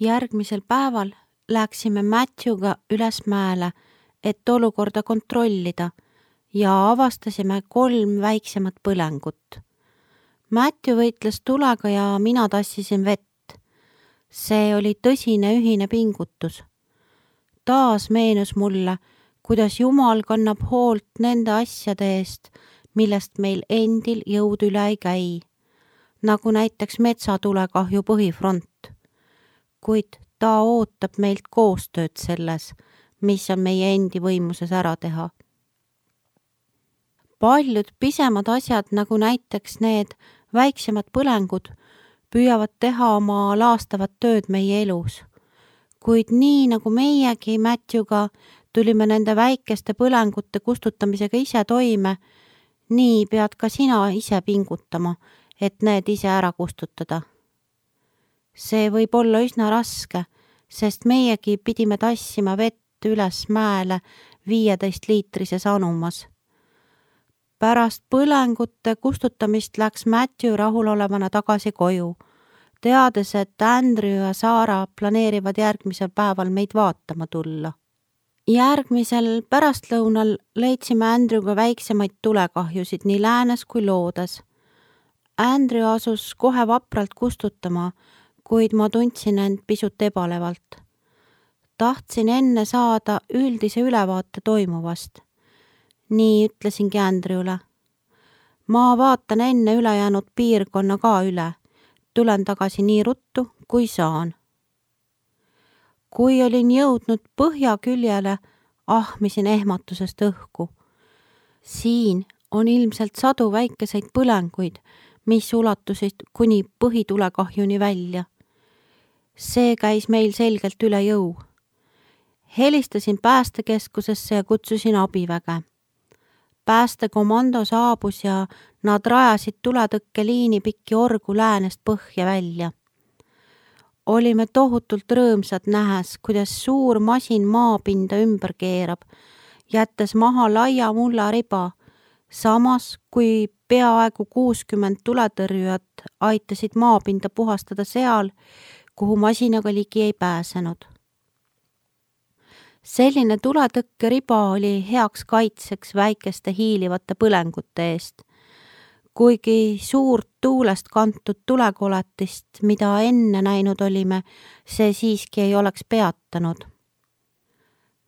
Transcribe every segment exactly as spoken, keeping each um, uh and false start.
Järgmisel päeval läksime Matthewga üles mäele, et olukorda kontrollida ja avastasime kolm väiksemat põlengut. Matthew võitles tulega ja mina tassisin vett. See oli tõsine ühine pingutus. Taas meenus mulle, kuidas Jumal kannab hoolt nende asjade eest, millest meil endil jõud üle ei käi, nagu näiteks metsatulekahju põhifront. Kuid ta ootab meilt koostööd selles, mis on meie endi võimuses ära teha. Paljud pisemad asjad, nagu näiteks need väiksemad põlengud, püüavad teha oma laastavat tööd meie elus. Kuid nii nagu meiegi Matthewga tulime nende väikeste põlengute kustutamisega ise toime, nii pead ka sina ise pingutama, et need ise ära kustutada. See võib olla üsna raske, sest meiegi pidime tassima vett üles mäele viieteist liitrises anumas. Pärast põlengute kustutamist läks Matthew rahulolevana tagasi koju, teades, et Andrew ja Sarah planeerivad järgmisel päeval meid vaatama tulla. Järgmisel pärastlõunal leidsime Andrewga väiksemaid tulekahjusid nii läänes kui loodes. Andrew asus kohe vapralt kustutama, kuid ma tundsin end pisut ebalevalt. Tahtsin enne saada üldise ülevaate toimuvast. Nii ütlesingi Andrewle. Ma vaatan enne ülejäänud piirkonna ka üle. Tulen tagasi nii ruttu, kui saan. Kui olin jõudnud põhja küljele, ahmisin ehmatusest õhku. Siin on ilmselt sadu väikeseid põlenguid, mis ulatusid kuni põhitulekahjuni välja. See käis meil selgelt üle jõu. Helistasin päästekeskusesse ja kutsusin abiväge. Päästekomando saabus ja nad rajasid tuletõkkeliini pikki orgu läänest põhja välja. Olime tohutult rõõmsad nähes, kuidas suur masin maapinda ümber keerab, jättes maha laia mulla riba, samas kui peaaegu kuuskümmend tuletõrjujat aitasid maapinda puhastada seal, kuhu masinaga ligi ei pääsenud. Selline tuletõkkeriba oli heaks kaitseks väikeste hiilivate põlengute eest. Kuigi suurt tuulest kantud tulekoletist, mida enne näinud olime, see siiski ei oleks peatanud.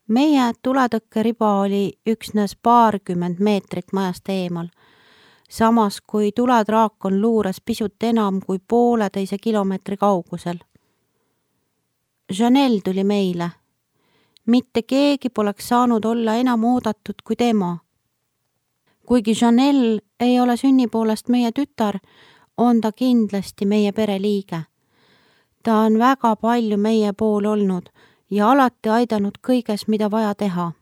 Meie tuletõkkeriba oli üksnes paarkümmend meetrit majast eemal, samas kui tuledraakon luuras pisut enam kui pooleteise kilomeetri kaugusel. Janelle tuli meile. Mitte keegi poleks saanud olla enam oodatud kui tema. Kuigi Janelle ei ole sünni poolest meie tütar, on ta kindlasti meie pereliige. Ta on väga palju meie pool olnud ja alati aidanud kõiges, mida vaja teha.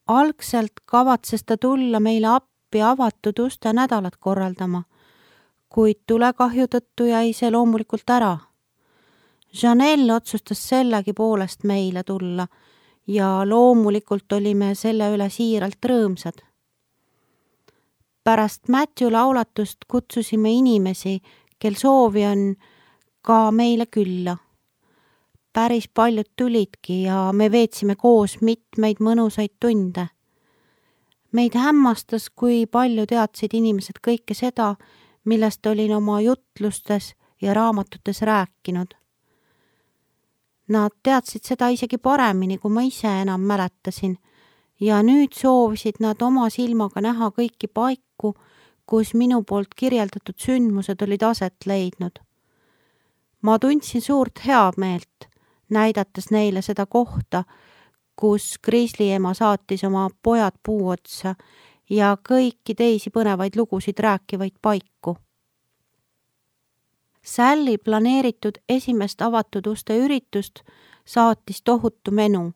Algselt kavatses ta tulla meile appi avatud uste nädalat korraldama, kuid tulekahju tõttu jäi see loomulikult ära. Janelle otsustas sellegi poolest meile tulla ja loomulikult olime selle üle siiralt rõõmsad. Pärast Matthew laulatust kutsusime inimesi, kel soovi on, ka meile külla. Päris paljud tulidki ja me veetsime koos mitmeid mõnusaid tunde. Meid hämmastas, kui palju teadsid inimesed kõike seda, millest olin oma jutlustes ja raamatutes rääkinud. Nad teadsid seda isegi paremini, kui ma ise enam mäletasin, ja nüüd soovisid nad oma silmaga näha kõiki paiku, kus minu poolt kirjeldatud sündmused olid aset leidnud. Ma tundsin suurt heameelt, näidates neile seda kohta, kus Grizzly ema saatis oma pojad puu otsa ja kõiki teisi põnevaid lugusid rääkivaid paiku. Sally planeeritud esimest avatud uste üritust saatis tohutu menu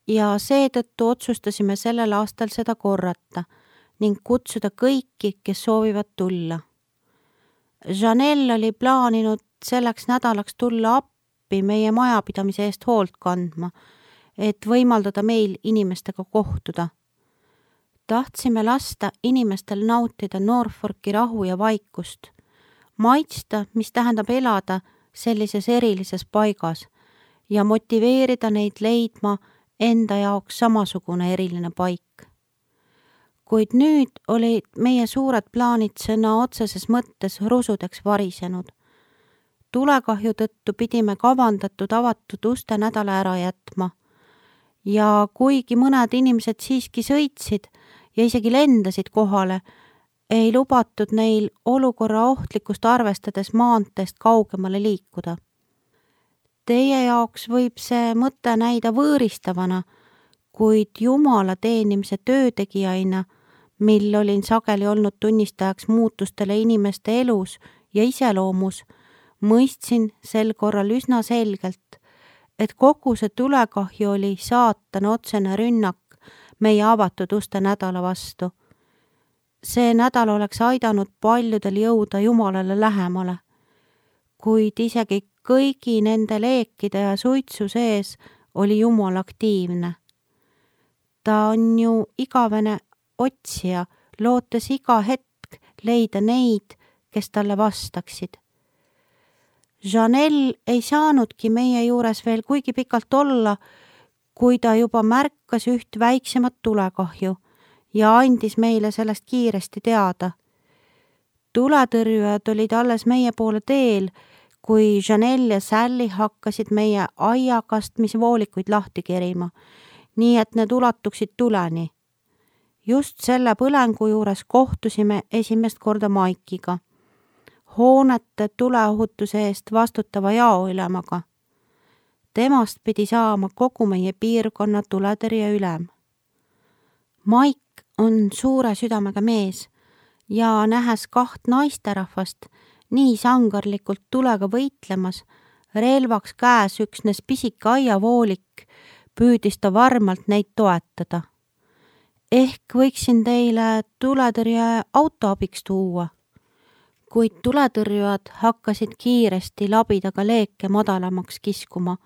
ja seetõttu otsustasime sellel aastal seda korrata ning kutsuda kõiki, kes soovivad tulla. Janelle oli plaaninud selleks nädalaks tulla appi meie majapidamise eest hoolt kandma, et võimaldada meil inimestega kohtuda. Tahtsime lasta inimestel nautida Norfolki rahu ja vaikust, maitsta, mis tähendab elada sellises erilises paigas ja motiveerida neid leidma enda jaoks samasugune eriline paik. Kuid nüüd olid meie suured plaanid sõna otseses mõttes rusudeks varisenud. Tulekahju tõttu pidime kavandatud avatud uste nädala ära jätma ja kuigi mõned inimesed siiski sõitsid ja isegi lendasid kohale, ei lubatud neil olukorra ohtlikkust arvestades maanteest kaugemale liikuda. Teie jaoks võib see mõte näida võõristavana, kuid Jumala teenimise töötegijaina, mil olin sageli olnud tunnistajaks muutustele inimeste elus ja iseloomus, mõistsin sel korral üsna selgelt, et kogu see tulekahju oli saatana otsene rünnak meie avatud uste nädala vastu. See nädal oleks aidanud paljudel jõuda Jumalale lähemale, kuid isegi kõigi nende leekide ja suitsu sees oli Jumal aktiivne. Ta on ju igavene otsija, lootes iga hetk leida neid, kes talle vastaksid. Janelle ei saanudki meie juures veel kuigi pikalt olla, kui ta juba märkas üht väiksemat tulekahju ja andis meile sellest kiiresti teada. Tuletõrjujad olid alles meie poole teel, kui Janelle ja Sally hakkasid meie aiakastmisvoolikuid lahti kerima, nii et need ulatuksid tuleni. Just selle põlengu juures kohtusime esimest korda Mike'iga, hoonete tuleohutuse eest vastutava jaoülemaga. Temast pidi saama kogu meie piirkonna tuletõrje ülem. Mike on suure südamega mees ja nähes kaht naisterahvast nii sangarlikult tulega võitlemas, relvaks käes üksnes pisike aiavoolik, püüdis ta varmalt neid toetada. Ehk võiksin teile tuletõrje auto abiks tuua, kuid tuletõrjujad hakkasid kiiresti labidaga leeke madalamaks kiskuma.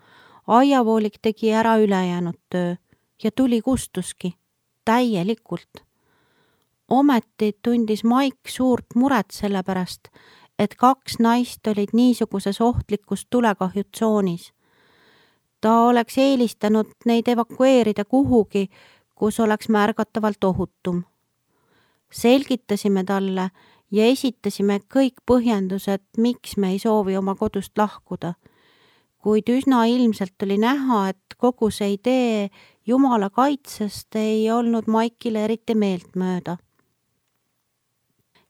Aiavoolik tegi ära ülejäänud töö ja tuli kustuski, täielikult. Ometi tundis Mike suurt muret selle pärast, et kaks naist olid niisuguses ohtlikus tulekahjutsoonis. Ta oleks eelistanud neid evakueerida kuhugi, kus oleks märgatavalt ohutum. Selgitasime talle ja esitasime kõik põhjendused, miks me ei soovi oma kodust lahkuda, kuid üsna ilmselt oli näha, et kogu see idee Jumala kaitsest ei olnud Mike'ile eriti meeltmööda.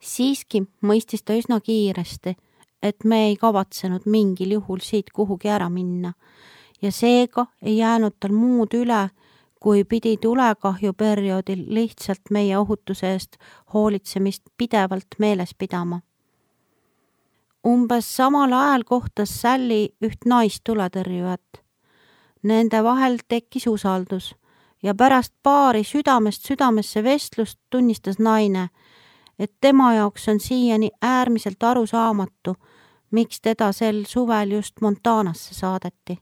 Siiski mõistis ta üsna kiiresti, et me ei kavatsenud mingil juhul siit kuhugi ära minna ja seega ei jäänud tal muud üle, kui pidi tulekahju perioodil lihtsalt meie ohutuse eest hoolitsemist pidevalt meeles pidama. Umbes samal ajal kohtas Sally üht naistuletõrjujat. Nende vahel tekkis usaldus ja pärast paari südamest südamesse vestlust tunnistas naine, et tema jaoks on siiani äärmiselt arusaamatu, miks teda sel suvel just Montanasse saadeti.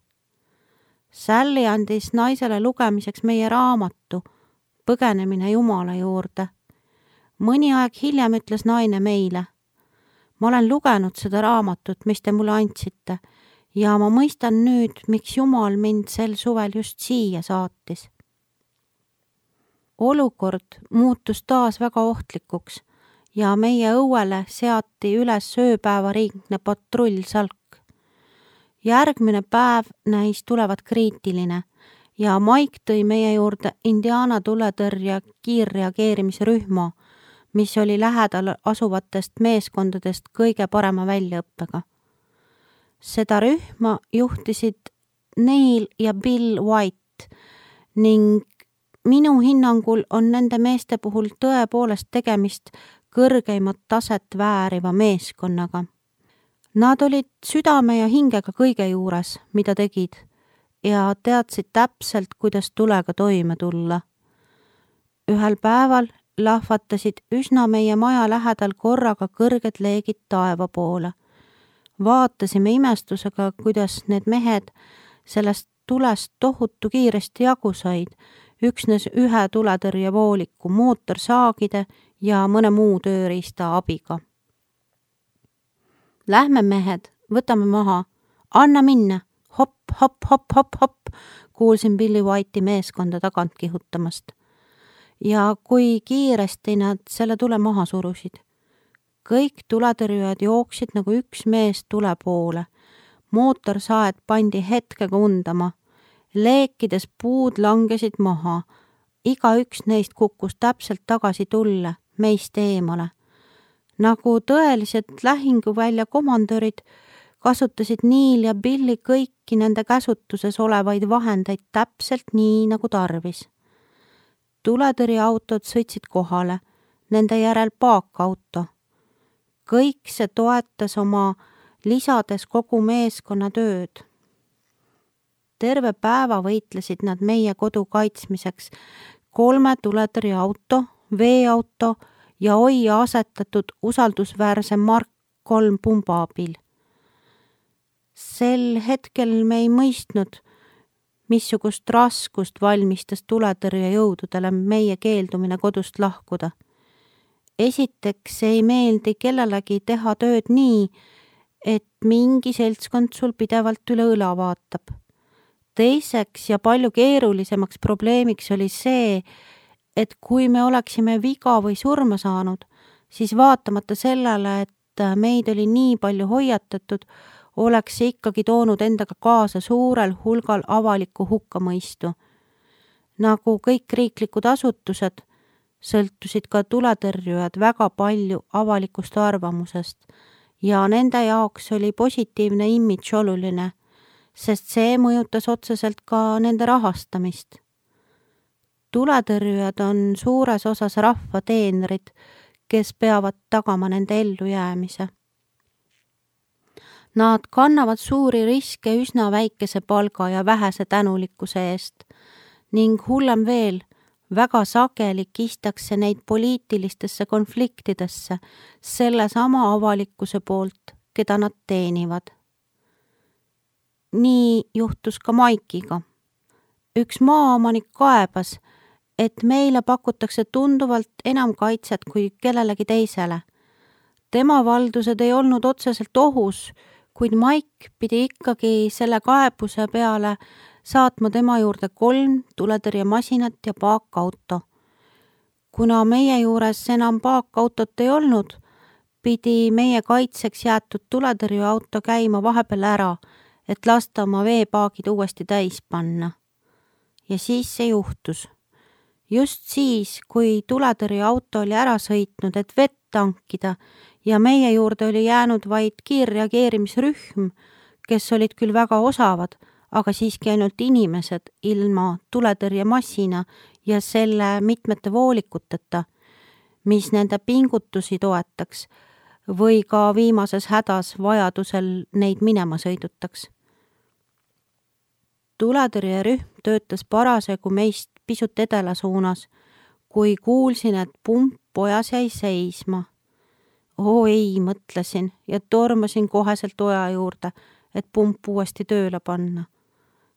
Sally andis naisele lugemiseks meie raamatu Põgenemine Jumala juurde. Mõni aeg hiljem ütles naine meile: ma olen lugenud seda raamatut, mis te mulle andsite ja ma mõistan nüüd, miks Jumal mind sel suvel just siia saatis. Olukord muutus taas väga ohtlikuks ja meie õuele seati üles ööpäevariigne patrullsalk. Järgmine päev näis tulevat kriitiline ja Mike tõi meie juurde Indiana tuletõrje kiirreageerimisrühma, mis oli lähedal asuvatest meeskondadest kõige parema väljaõppega. Seda rühma juhtisid Neil ja Bill White ning minu hinnangul on nende meeste puhul tõepoolest tegemist kõrgeimat taset vääriva meeskonnaga. Nad olid südame ja hingega kõige juures, mida tegid, ja teadsid täpselt, kuidas tulega toime tulla. Ühel päeval lahvatasid üsna meie maja lähedal korraga kõrged leegid taeva poole. Vaatasime imestusega, kuidas need mehed sellest tulest tohutu kiiresti jagu said, üksnes ühe tuletõrjevooliku, mootorsaagide ja mõne muu tööriista abiga. Lähme mehed, võtame maha, anna minna, hopp, hopp, hopp, hopp, hopp, kuulsin Billy White'i meeskonda tagant kihutamast. Ja kui kiiresti nad selle tule maha surusid. Kõik tuletõrjujad jooksid nagu üks mees tule poole. Mootorsaed pandi hetkega undama. Leekides puud langesid maha. Iga üks neist kukkus täpselt tagasi tulle, meist eemale. Nagu tõelised lähinguvälja komandörid kasutasid Neil ja Billy kõiki nende käsutuses olevaid vahendeid täpselt nii nagu tarvis. Tuletõrjeautod sõitsid kohale, nende järel paakauto. Kõik see toetas oma lisades kogu meeskonna tööd. Terve päeva võitlesid nad meie kodu kaitsmiseks kolme tuletõrjeauto, veeauto ja oia asetatud usaldusväärse Mark kolm pumba abil. Sel hetkel me ei mõistnud, missugust raskust valmistas tuletõrjejõududele meie keeldumine kodust lahkuda. Esiteks ei meeldi kellelegi teha tööd nii, et mingi seltskond sul pidevalt üle õla vaatab. Teiseks ja palju keerulisemaks probleemiks oli see, et kui me oleksime viga või surma saanud, siis vaatamata sellele, et meid oli nii palju hoiatatud, oleks see ikkagi toonud endaga kaasa suurel hulgal avalikku hukkamõistu. Nagu kõik riiklikud asutused, sõltusid ka tuletõrjujad väga palju avalikust arvamusest ja nende jaoks oli positiivne imidž oluline, sest see mõjutas otseselt ka nende rahastamist. Tuletõrjujad on suures osas rahva teenrid, kes peavad tagama nende ellujäämise. Nad kannavad suuri riske üsna väikese palga ja vähese tänulikkuse eest ning hullem veel, väga sageli kistakse neid poliitilistesse konfliktidesse selle sama avalikkuse poolt, keda nad teenivad. Nii juhtus ka Maikiga. Üks maaomanik kaebas, et meile pakutakse tunduvalt enam kaitset kui kellelegi teisele. Tema valdused ei olnud otseselt ohus, kuid Maik pidi ikkagi selle kaebuse peale saatma tema juurde kolm tuletõrjemasinat ja paakauto. Kuna meie juures enam paakautot ei olnud, pidi meie kaitseks jäetud tuletõrjeauto käima vahepeal ära, et lasta oma veepaagid uuesti täis panna. Ja siis see juhtus. Just siis, kui tuletõrjeauto oli ära sõitnud, et vett tankida ja meie juurde oli jäänud vaid kiirreageerimisrühm, kes olid küll väga osavad, aga siiski ainult inimesed ilma tuletõrjemassina ja selle mitmete voolikuteta, mis nende pingutusi toetaks või ka viimases hädas vajadusel neid minema sõidutaks. Tuletõrjerühm töötas parasjagu meist pisut edela suunas, kui kuulsin, et pump pojas jäi seisma. Oo ei, mõtlesin ja tormasin koheselt oja juurde, et pump uuesti tööle panna.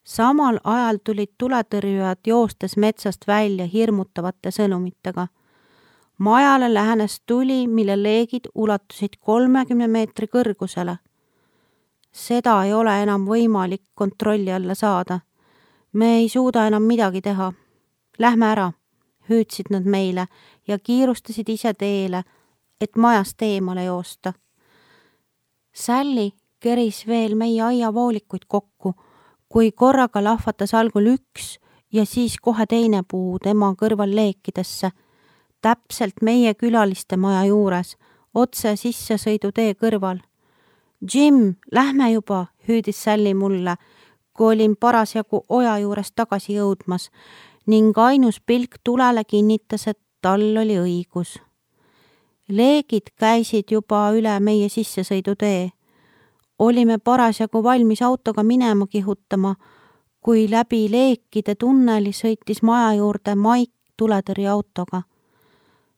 Samal ajal tulid tuletõrjujad joostes metsast välja hirmutavate sõnumitega. Majale lähenes tuli, mille leegid ulatusid kolmekümne meetri kõrgusele. Seda ei ole enam võimalik kontrolli alla saada. Me ei suuda enam midagi teha. Lähme ära, hüüdsid nad meile ja kiirustasid ise teele, et majast eemale joosta. Sally keris veel meie aiavoolikuid kokku, kui korraga lahvatas algul üks ja siis kohe teine puu tema kõrval leekidesse, täpselt meie külaliste maja juures, otse sissesõidutee kõrval. Jim, lähme juba, hüüdis Sally mulle, kui olin parasjagu oja juures tagasi jõudmas ning ainus pilk tulele kinnitas, et tal oli õigus. Leegid käisid juba üle meie sissesõidutee. Olime parasjagu valmis autoga minema kihutama, kui läbi leekide tunneli sõitis maja juurde Maik tuletõrjeautoga.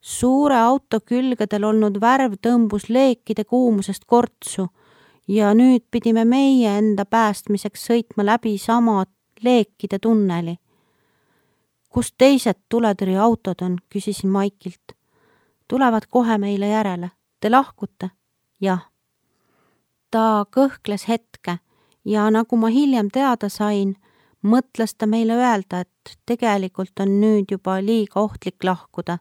Suure auto külgedel olnud värv tõmbus leekide kuumusest kortsu ja nüüd pidime meie enda päästmiseks sõitma läbi sama leekide tunneli. Kus teised tuletõrjeautod on, küsisin Maikilt. Tulevad kohe meile järele. Te lahkute? Jah. Ta kõhkles hetke ja nagu ma hiljem teada sain, mõtles ta meile öelda, et tegelikult on nüüd juba liiga ohtlik lahkuda.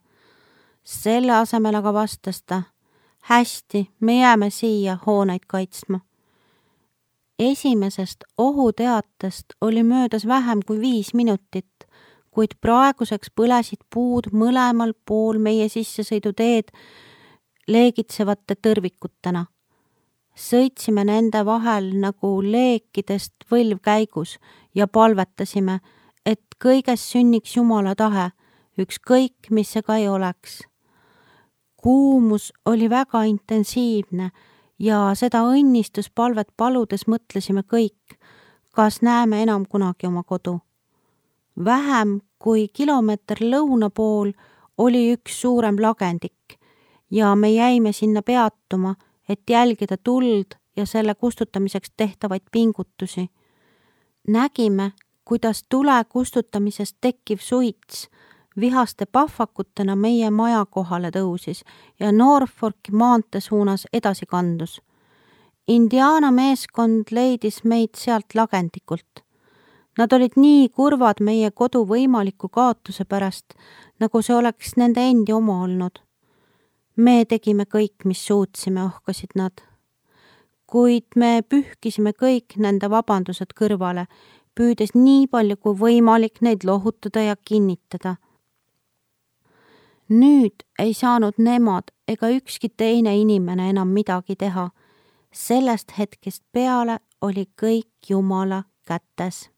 Selle asemel aga vastas ta, hästi, me jääme siia hooneid kaitsma. Esimesest ohuteatest oli möödas vähem kui viis minutit, kuid praeguseks põlesid puud mõlemal pool meie sissesõiduteed leegitsevate tõrvikutena. Sõitsime nende vahel nagu leekidest võlvkäigus ja palvetasime, et kõiges sünniks Jumala tahe, ükskõik mis see ka ei oleks. Kuumus oli väga intensiivne ja seda õnnistuspalvet paludes mõtlesime kõik, kas näeme enam kunagi oma kodu. Vähem kui kilomeeter lõuna pool oli üks suurem lagendik ja me jäime sinna peatuma, et jälgida tuld ja selle kustutamiseks tehtavaid pingutusi. Nägime, kuidas tule kustutamisest tekkiv suits vihaste pahvakutena meie maja kohale tõusis ja Norfolki maantee suunas edasi kandus. Indiana meeskond leidis meid sealt lagendikult. Nad olid nii kurvad meie kodu võimaliku kaotuse pärast, nagu see oleks nende endi oma olnud. Me tegime kõik, mis suutsime, ohkasid nad. Kuid me pühkisime kõik nende vabandused kõrvale, püüdes nii palju kui võimalik neid lohutada ja kinnitada. Nüüd ei saanud nemad ega ükski teine inimene enam midagi teha. Sellest hetkest peale oli kõik Jumala kätes.